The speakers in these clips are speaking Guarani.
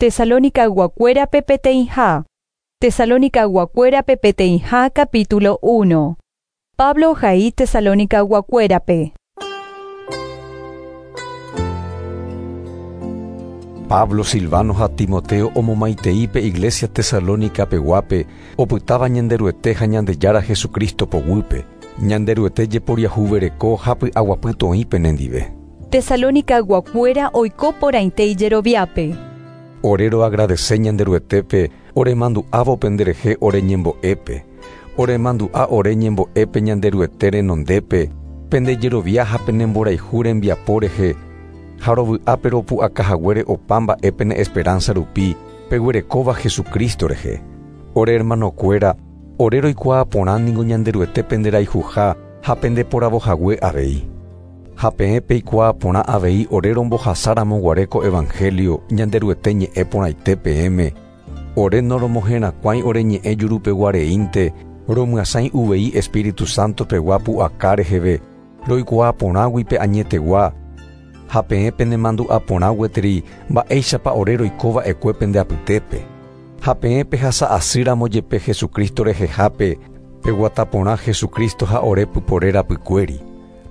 Tesalonicaguakuérape peteĩha. Tesalonicaguakuérape peteĩha capítulo 1. Pablo ohai Tesalonicaguakuérape. Pablo, Silvano ha Timoteo omomaitei pe iglesia Tesalónica peguápe opytáva Ñanderuete ha Ñandejára Jesucristo poguýpe. Ñanderuete jeporiahuvereko ha py'aguapy toĩ penendive. Tesalonicaguakuéra oiko porãite ijeroviápe. Ore roagradece Ñanderuetépe oremandu'ávo penderehe ore ñembo'épe. Oremandu'a ore ñembo'épe Ñanderuete renondépe, pendejerovia ha penemborayhu rembiapo rehe, ha rovy'ápe ropu'akahaguére opa mba'e pene esperanza rupi peguerekóva Jesucristo rehe. Ore hermanokuéra, ore roikuaa porã ningo Ñanderuete penderayhuha ha pendeporavohague avei. Ha peẽ peikuaa porã avei ore rombohasáramo guare ko evangelio Ñanderuete ñe'ẽ porãite peẽme. Ore noromoherakuãi ore ñe'ẽ jurupeguareínte, romyasãi uvei Espíritu Santo pegua pu'aka reheve, roikuaa porãgui pe añetegua, ha peẽ penemandu'a porã gueteri mba'éichapa ore roikova'ekue pende apytépe. Ha peẽ pehasa'asýramo jepe Jesucristo rehehápe, peguata porã Jesucristo ha ore pypore rapykuéri.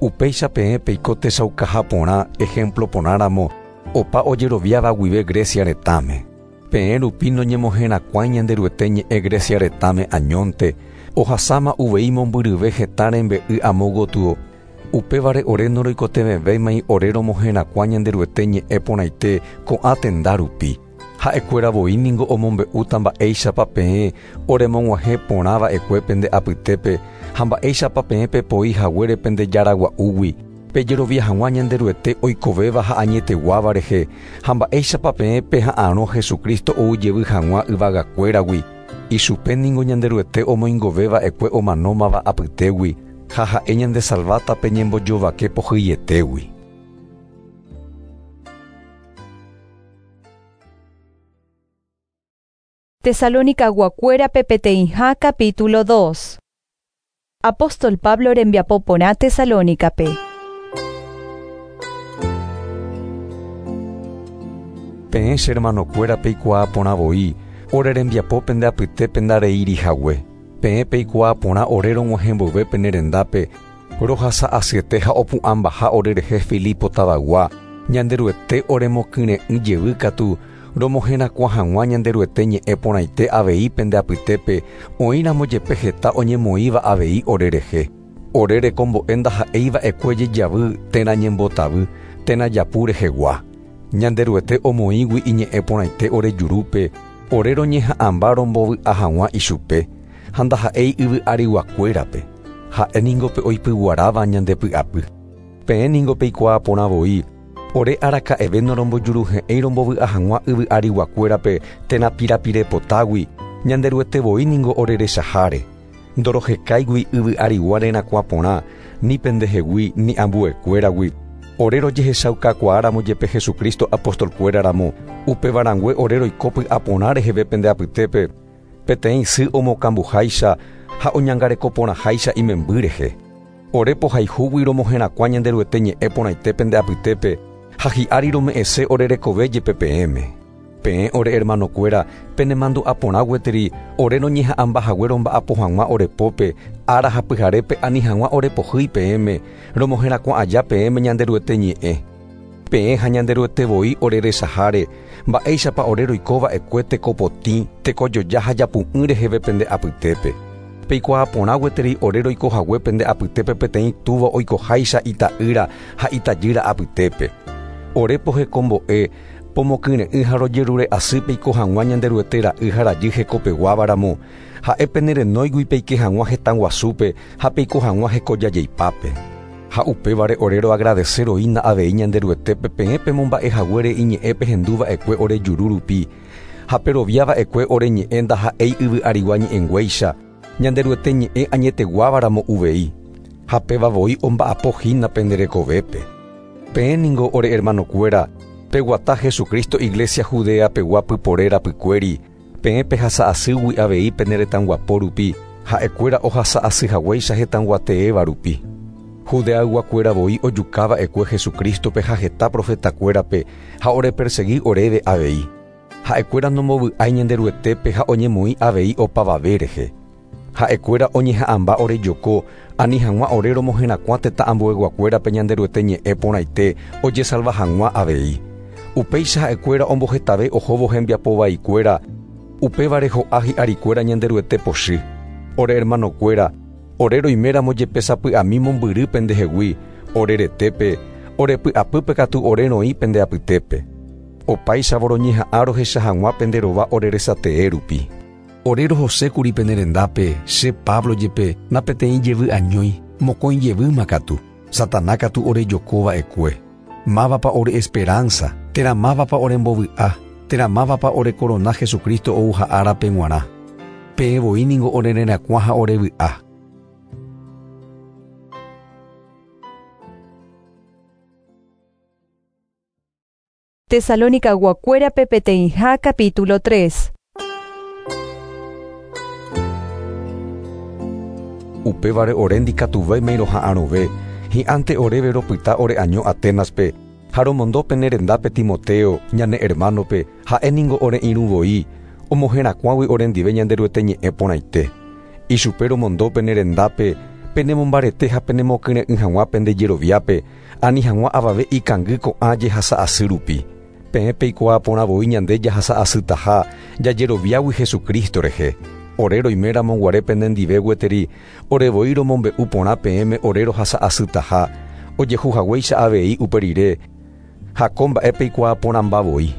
Upéicha peẽ peiko techaukaha porã ejemplo porãramo opa ojeroviáva guive Grecia retãme. Peẽ rupi noñemoherakuãi Ñanderuete ñe'ẽ Grecia retãme añónte, ohasáma uvei mombyryve hetã rembe'y amo gotyo. Upévare ore noroikotevẽvéimai ore romoherakuã Ñanderuete ñe'ẽ porãite ko'ã tenda rupi. Ha'ekuéra voi ningo omombe'úta mba'éichapa peẽ oremog̃uahẽ porã va'ekue pende apytépe ha mba'éichapa peẽ pepoi haguére pende jaragua'úgui, pejerovia hag̃ua Ñanderuete oikovéva ha añeteguáva rehe, ha mba'éichapa peẽ peha'arõ Jesucristo oujevy hag̃ua yvagakuéragui. Ichupe ningo Ñanderuete omoingoveva'ekue omanómava apytégui ha ha'e ñandesalváta pe ñembojovake pohyietégui. Tesalonicaguakuérape peteĩha capítulo 2. Apóstol Pablo rembiapo porã Tesalónicape. Peẽ che hermanokuéra peikuaa porã voi, ore rembiapo pende apytépe ndareírihague. Peẽ peikuaa porã ore rog̃uahẽ mboyve pene rendápe, rohasa'asyete ha opu'ãmbaha orerehe Filipo tavagua, Ñanderuete oremokyre'ỹ jevy katu, romoherakuã hag̃ua Ñanderuete ñe'ẽ porãite avei pende apytépe, oĩramo jepe heta oñemoĩva avei orerehe. Ore rekombo'e ndaha'éiva'ekue jejavy térã ñembotavy, térã japu rehegua. Ñanderuete omoĩgui iñe'ẽ porãite ore jurúpe, ore roñeha'ãmba rombovy'a hag̃ua ichupe, ha ndaha'éi yvy ariguakuérape. Ha'e ningo pe oipyguaráva ñandepy'apy. Peẽ ningo peikuaa porã voi, ore araka'eve norombojuruhe'ẽi rombovy'a hag̃ua yvy ariguakuérape térã pirapirepotágui, Ñanderuete voi ningo orerechaháre. Ndorohekáigui yvy arigua rerakuã porã, ni pendehegui ni ambuekuéragui. Ore rojehechaukakuaáramo jepe Jesucristo apostolkuéraramo, upevarãngue ore roiko py'aporã reheve pende apytépe, peteĩ sy omokambuháicha ha oñangareko porãháicha imemby rehe. Ore pohayhúgui romoherakuã Ñanderuete ñe'ẽ porãite pende apytépe ha hi'ári rome'ẽse ore rekove jepe peẽme. Peẽ ore hermanokuéra penemandu'a porã gueteri ore roñeha'ãmbahague romba'apo hag̃ua ore pópe, ára ha pyharépe ani hag̃ua ore pohýi peẽme, romoherakuã aja peẽme Ñanderuete ñe'ẽ. Peẽ ha Ñanderuete voi ore resaháre, mba'éichapa ore roikova'ekue tekopotĩ, tekojoja ha japu'ỹ reheve pende apytépe. Peikuaa porã gueteri ore roikohague pende apytépe peteĩ túva oikoháicha ita'ýra ha itajýra apytépe. Ore pohekombo'e, pomokyre'ỹ ha rojerure asy peiko hag̃ua Ñanderuete ra'y ha rajy hekopeguávaramo, ha'e penerenóigui peike hag̃ua hetã guasúpe ha peiko hag̃ua hekojajeipápe. Ha upévare ore roagradece roína avei Ñanderuetépe peẽ pemomba'ehaguére iñe'ẽ pehenduva'ekue ore juru rupi, ha peroviava'ekue ore ñe'ẽ ndaha'éi yvy arigua ñe'ẽnguéicha, Ñanderuete ñe'ẽ añeteguávaramo uvei, ha péva voi omba'apohína pende rekovépe. Peẽ ningo ore hermanokuéra, peguata Jesucristo iglesia Judea pegua pypore rapykuéri, peẽ pehasa'asýgui avei pene retãguapo rupi, ha'ekuéra ohasa'asyhaguéicha hetãguateéva rupi. Judeayguakuéra voi ojukáva'ekue Jesucristope ha heta profetakuérape ha orepersegui oréve avei. Ha'ekuéra nombovy'ái Ñanderuetépe ha oñemoĩ avei opavave rehe. Ha'ekuéra oñeha'ãmba orejoko, ani hag̃ua ore romoherakuã tetã ambueyguakuérape Ñanderuete ñe'ẽ porãite ojesalva hag̃ua avei. Upéicha ha'ekuéra ombohetave ohóvo hembiapo vaikuéra, upévare ho'a hi'arikuéra Ñanderuete pochy. Ore hermanokuéra, ore roiméramo jepe sapy'ami mombyry pendehegui, ore retépe, ore py'apýpe katu ore roĩ pende apytépe. Opáichavo roñeha'ã rohecha hag̃ua pende rova ore resatee rupi. Ore rohosékuri pene rendápe, che Pablo jepe, napeteĩ jevy añói, mokõi jevýma katu, Satana katu orejoko va'ekue. Mávapa ore esperanza, térã mávapa orembovy'a, térã mávapa ore korona Jesucristo ouha árape g̃uarã. Peẽ voi ningo ore rerakuã ha ore vy'a. Tesalonicaguakuérape peteĩha capítulo 3. Upévare ore ndikatuvéima roha'arõve, hi'ãnte oréve ropyta ore año Atenaspe, ha romondo pene rendápe Timoteo, ñane hermanope, ha'e ningo ore irũ voi, omoherakuãgui orendive Ñanderuete ñe'ẽ porãite. Ichupe romondo pene rendápe, penemombarete ha penemokyre'ỹ hag̃ua pende jeroviápe, ani hag̃ua avave ikangy ko'ã jehasa asy rupi. Peẽ peikuaa porã voi ñande jahasa asytaha jajeroviágui Jesucristo rehe. Ore roiméramo guare penendive gueteri, ore voi romombe'u porã peẽme ore rohasa asytaha, ojehu haguéicha avei upe rire, ha ko mba'e peikuaa porãmba voi.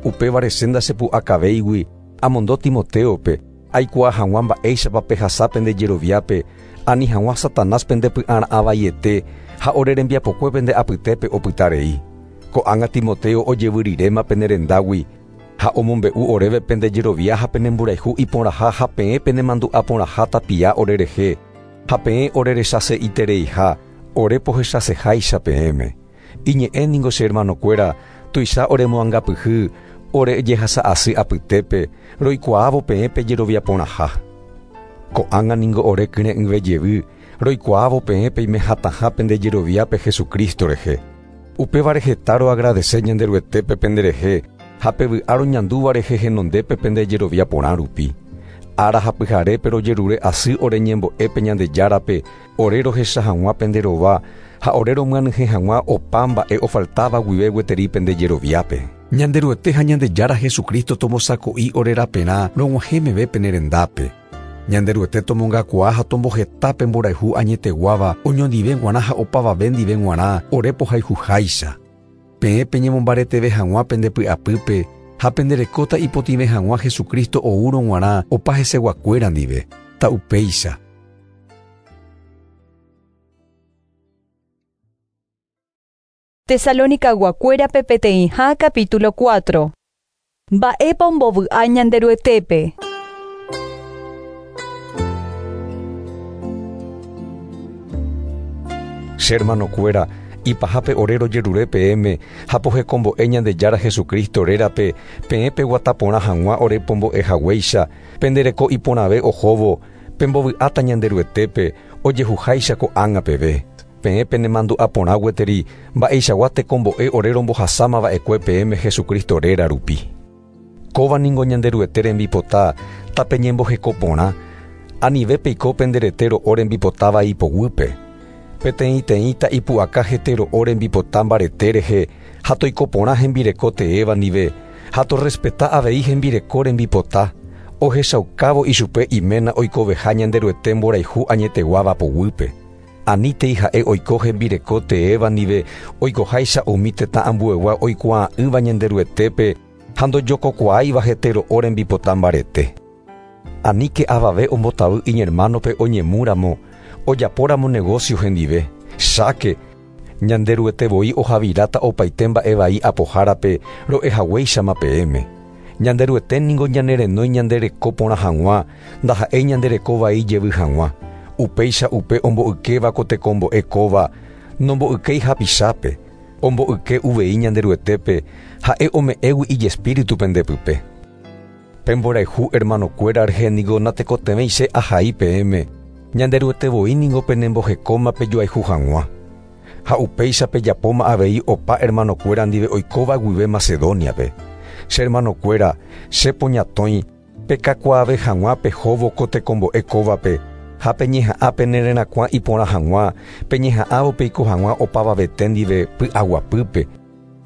Upévare che ndachepu'akavéigui amondo Timoteope, aikuaa hag̃ua mba'éichapa pehasa pende jeroviápe, ani hag̃ua Satanás pende py'ara'ã vaiete ha ore rembiapokue pende apytépe opyta rei. Ko'ág̃a Timoteo ojevyriréma pene rendágui, ha omombe'u oréve pende jerovia ha pene mborayhu iporãha ha peẽ penemandu'a porãha tapia orerehe, ha peẽ orerechase'itereiha, ore pohechaseháicha peẽme. Iñe'ẽ ningo che hermanokuéra, tuicha oremoangapyhy, ore jehasa asy apytépe, roikuaávo peẽ pejerovia porãha. Ko'ág̃a ningo ore kyre'ỹve jevy, roikuaávo peẽ peimehatãha pende jeroviápe Jesucristo rehe. Upévare heta roagradece Ñanderuetépe penderehe, ha pevy'a roñandúva rehe henondépe pende jerovia porã rupi. Ára ha pyharépe rojerure asy ore ñembo'épe Ñandejárape, ore rohecha hag̃ua pende rova, ha ore romyanyhẽ hag̃ua opa mba'e ofaltáva guive gueteri pende jeroviápe. Ñanderuete ha Ñandejára Jesucristo tombosako'i ore raperã rog̃uahẽ meve pene rendápe. Ñanderuete tomongakuaa ha tomboheta mborayhu añeteguáva oñondive g̃uarã ha opavave ndive g̃uarã ore pohayhuháicha. Peẽ peñemombareteve hag̃ua pende py'apýpe ha penderekóta ipotĩve hag̃ua Jesucristo oúrõ g̃uarã opa heseguakuéra ndive. Ta'upéicha. Tesalonicaguakuérape peteĩha capítulo 4. Mba'épa ombovy'a Ñanderuetépe. Che hermanokuéra, ipahápe ore rojerure peẽme ha pohekombo'e Ñandejára Jesucristo rérape, peẽ peguata porã hag̃ua ore pombo'e haguéicha, pendereko iporãve ohóvo, pembovy'áta Ñanderuetépe, ojehuháicha ko'ág̃a peve. Peẽ penemandu'a porã gueteri, mba'eichagua tekombo'e ore rombohasáma va'ekue peẽme Jesucristo réra rupi. Kóva ningo Ñanderuete rembipota, tapeñemboheko porã, anive peiko penderete ro'o rembipotáva ipoguýpe. Peteĩteĩta ipu'aka hete ro'o rembipota mbarete rehe, ha toiko porã hembireko teéva ndive, ha torrespeta avei hembireko rembipota, ohechaukávo ichupe iména oikoveha Ñanderuete mborayhu añeteguáva poguýpe. Anítei ha'e oiko hembireko teéva ndive oikoháicha umi tetã ambuegua oikuaa'ỹva Ñanderuetépe ha ndojokokuaáiva hete ro'o rembipota mbarete. Aníke avave ombotavy iñermanope oñemúramo, ojapóramo negocio hendive. Cháke, Ñanderuete voi ohaviráta opaite mba'e vai apohárape ro'ehaguéichama peẽme. Ñanderuete ningo ñanerenói ñandereko porã hag̃ua, ndaha'éi ñandereko vai jevy hag̃ua. Upéicha upe omboykéva ko tekombo'e kóva, nomboykéi hapichápe, omboyke uvei Ñanderuetépe, ha'e ome'ẽgui ijespíritu pendepype. Pemborayhu hermanokuéra rehe ningo natekotevẽi che ahai peẽme, Ñanderuete voi ningo penembohekóma pejoayhu hag̃ua. Ha upéicha pejapóma avei opa hermanokuéra ndive oikóva guive Macedoniape. Che hermanokuéra, che poñatõi, pekakuaave hag̃ua pehóvo ko tekombo'e kóvape, ha peñeha'ã pene rerakuã iporã hag̃ua, peñeha'ãvo peiko hag̃ua opavavete ndive py'aguapýpe,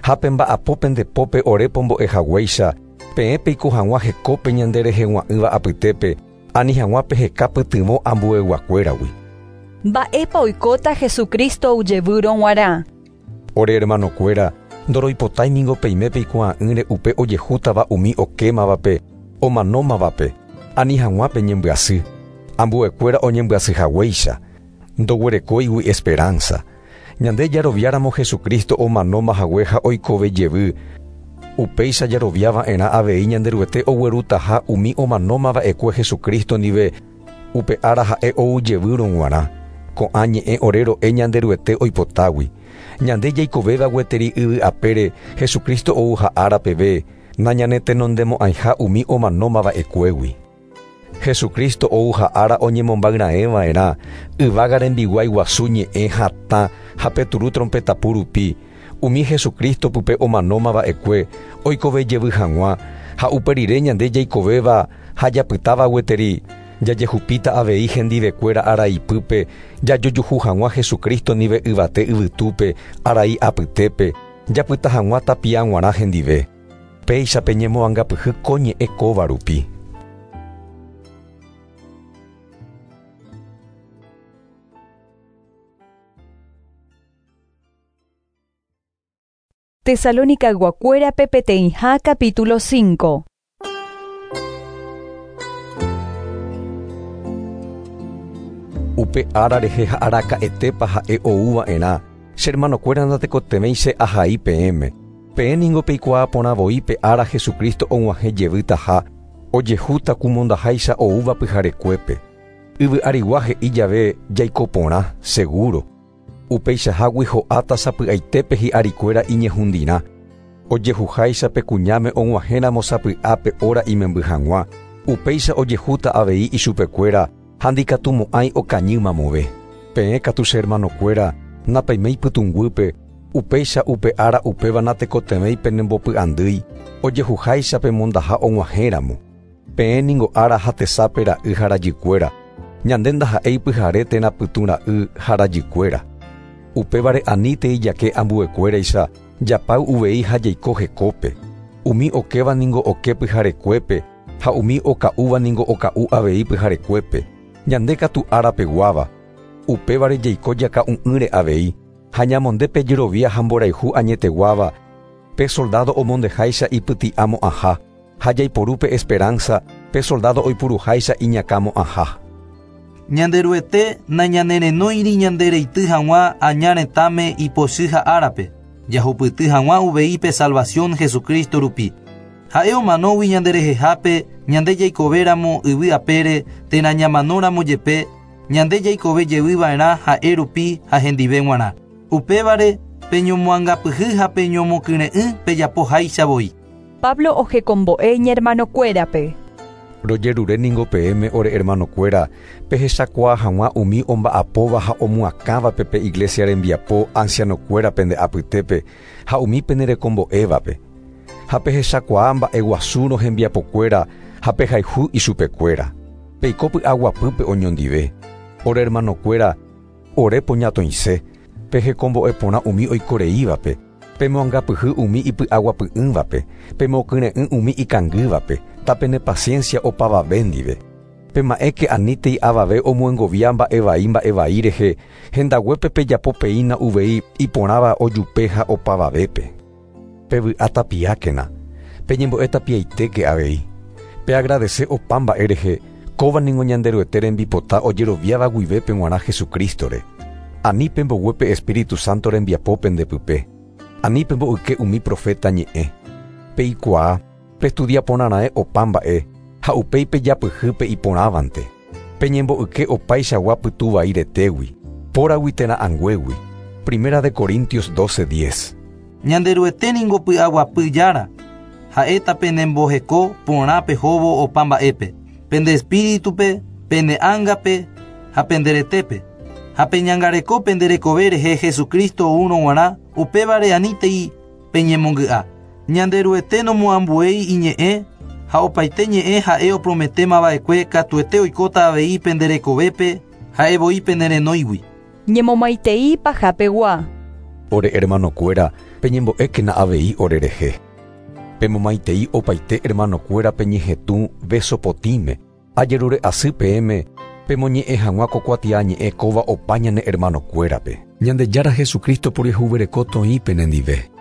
ha pemba'apo pende pópe ore pombo'e haguéicha, peẽ peiko hag̃ua hekópe ñande rehegua'ỹva apytépe, ani hag̃ua peheka pytyvõ ambueyguakuéragui. Mba'épa oikóta Jesucristo ojevýrõ g̃uarã. Ore hermanokuéra, ndoroipotái ningo peime peikuaa'ỹre upe ojehútava umi okémavape, omanómavape, ani hag̃ua peñembyasy. Ambuekuéra oñembyasy haguéicha, ndoguerekóigui esperanza. Ñande jaroviáramo Jesucristo omanóma hague ha oikove jevy, upéicha jaroviava'erã avei Ñanderuete oguerutaha umi omanómava'ekue Jesucristo ndive upe ára ha'e ou jevýrõ g̃uarã. Ko'ã ñe'ẽ ore ro'e Ñanderuete oipotágui. Ñande jaikovéva gueteri yvy apére Jesucristo ou ha'ára peve, nañanetenondemo'ãiha umi omanómava'ekuégui. Jesucristo ou ha'ára oñemombayraẽva'erã, yvága rembiguái guasu ñe'ẽ hatã ha pe turu trompetapu rupi, umi Jesucristo pype omanómava'ekue oikove jevy hag̃ua, ha upe rire ñande jaikovéva ha japytáva gueteri, jajehupíta avei hendivekuéra araipýpe, jajojuhu hag̃ua Jesucristo ndive yvate yvytúpe, arai apytépe, japyta hag̃ua tapia g̃uarã hendive. Péicha peñemoangapyhy ko ñe'ẽ kóva rupi. Tesalonicaguakuérape peteĩha capítulo 5. Upe ára rehe ha araka'etépa ha'e ouva'erã, che hermanokuéra ndatekotevẽi che ahai peẽme. Peẽ ningo peikuaa porã voi pe ára Jesucristo og̃uahẽ jevytaha, ojehúta kumondaháicha oúva pyharekuépe. Yvy arigua he'i jave jaiko porã, seguro. Upeichahágui ho'áta sapy'aitépe hi'arikuéra iñehundirã. Ojehuháicha pe kuñáme og̃uahẽramo sapy'a pe hora imemby hag̃ua, upéicha ojehúta avei ichupekuéra ha ndikatumo'ãi okañy mamove. Peẽ katu che hermanokuéra, napeiméi pytũnguýpe, upéicha upe ára upéva natekotevẽi penembopy'andýi, ojehuháicha pemondaha og̃uahẽramo. Peẽ ningo ára ha tesape ra'y ha rajykuéra, ñande ndaha'éi pyhare térã pytũ ra'y ha rajykuéra. Upévare anítei jake ambuekuéraicha, japáy uvei ha jaiko hekópe. Umi okéva ningo oke pyharekuépe, ha umi oka'úva ningo oka'u avei pyharekuépe. Ñande katu árapeguáva. Upévare jaiko jaka'u'ỹre avei, ha ñamonde pe jerovia ha mborayhu añeteguáva, pe soldado omondeháicha ipyti'amo'ãha, ha jaiporu pe esperanza, pe soldado oipuruháicha iñakãmo'ãha. Ñanderuete nañanerenóiri ñandereity hag̃ua aña retãme ipochy ha árape, jahupyty hag̃ua uvei pe salvación Jesucristo rupi. Ha'e omanógui ñanderehehápe ñande jaikovéramo yvy apére térã ñamanóramo jepe, ñande jaikove jevyva'erã ha'e rupi ha hendive g̃uarã. Upévare peñomoangapyhy ha peñomokyre'ỹ pejapoháicha voi. Pablo ohekombo'e iñermanokuérape. Rojerure ningo peẽme ore hermanokuéra, pehechakuaa hag̃ua umi omba'apóva ha omoakãvape pe iglesia rembiapo ancianokuéra pende apytépe ha umi penerekombo'évape. Ha pehechakuaa mba'eguasúrõ hembiapokuéra ha pehayhu ichupekuéra. Peiko py'aguapýpe oñondive. Ore hermanokuéra, ore poñatõise, pehekombo'e porã umi oikoreívape, pemoangapyhy umi ipy'aguapy'ỹvape, pemokyre'ỹ umi ikangývape, tapene paciencia opavave ndive. Pema'ẽke anítei avave omoengovia mba'evai mba'evai rehe, hendaguépe pejapo peína uvei iporãva ojupe ha opavavépe. Pevy'a tapiákena, peñembo'e tapiaitéke avei. Peagradece opa mba'e rehe, kóva ningo Ñanderuete rembipota ojeroviáva guivépe g̃uarã Jesucristore. Ani pemboguépe Espíritu Santo rembiapo pendepype. Ani pemboyke umi profeta ñe'ẽ. Peikuaa, pestudia porãraẽ opa mba'e, ha upéi pejapyhýpe iporãvante. Peñemboyke opaichagua pytu vai retégui, póragui térã anguégui. Primera de Corintios 12:10. Ñanderuete ningo py'aguapy jára, ha'éta penemboheko porã pehóvo opa mba'épe, pende espíritupe, pene ángape ha pende retépe. Ha peñangareko pende rekove rehe Jesucristo oúrõ g̃uarã, upévare anítei peñemongy'a. Ñanderuete nomoambuéi iñe'ẽ ha opaite ñe'ẽ ha'e oprometémava'ekue katuete oikóta avei penderekovépe ha'evoi penerenóigui. Ñemomaitei pahapegua. Ore hermanokuéra, peñembo'ékena avei orerehe. Pemomaitei opaite hermanokuéra peñehetũ beso potĩme. Ajerure asy peẽme pemoñe'ẽ hag̃ua ko kuatiañe'ẽ kóva opa ñane hermanokuérape. Ñandejára Jesucristo poriahuvereko toĩ penendive.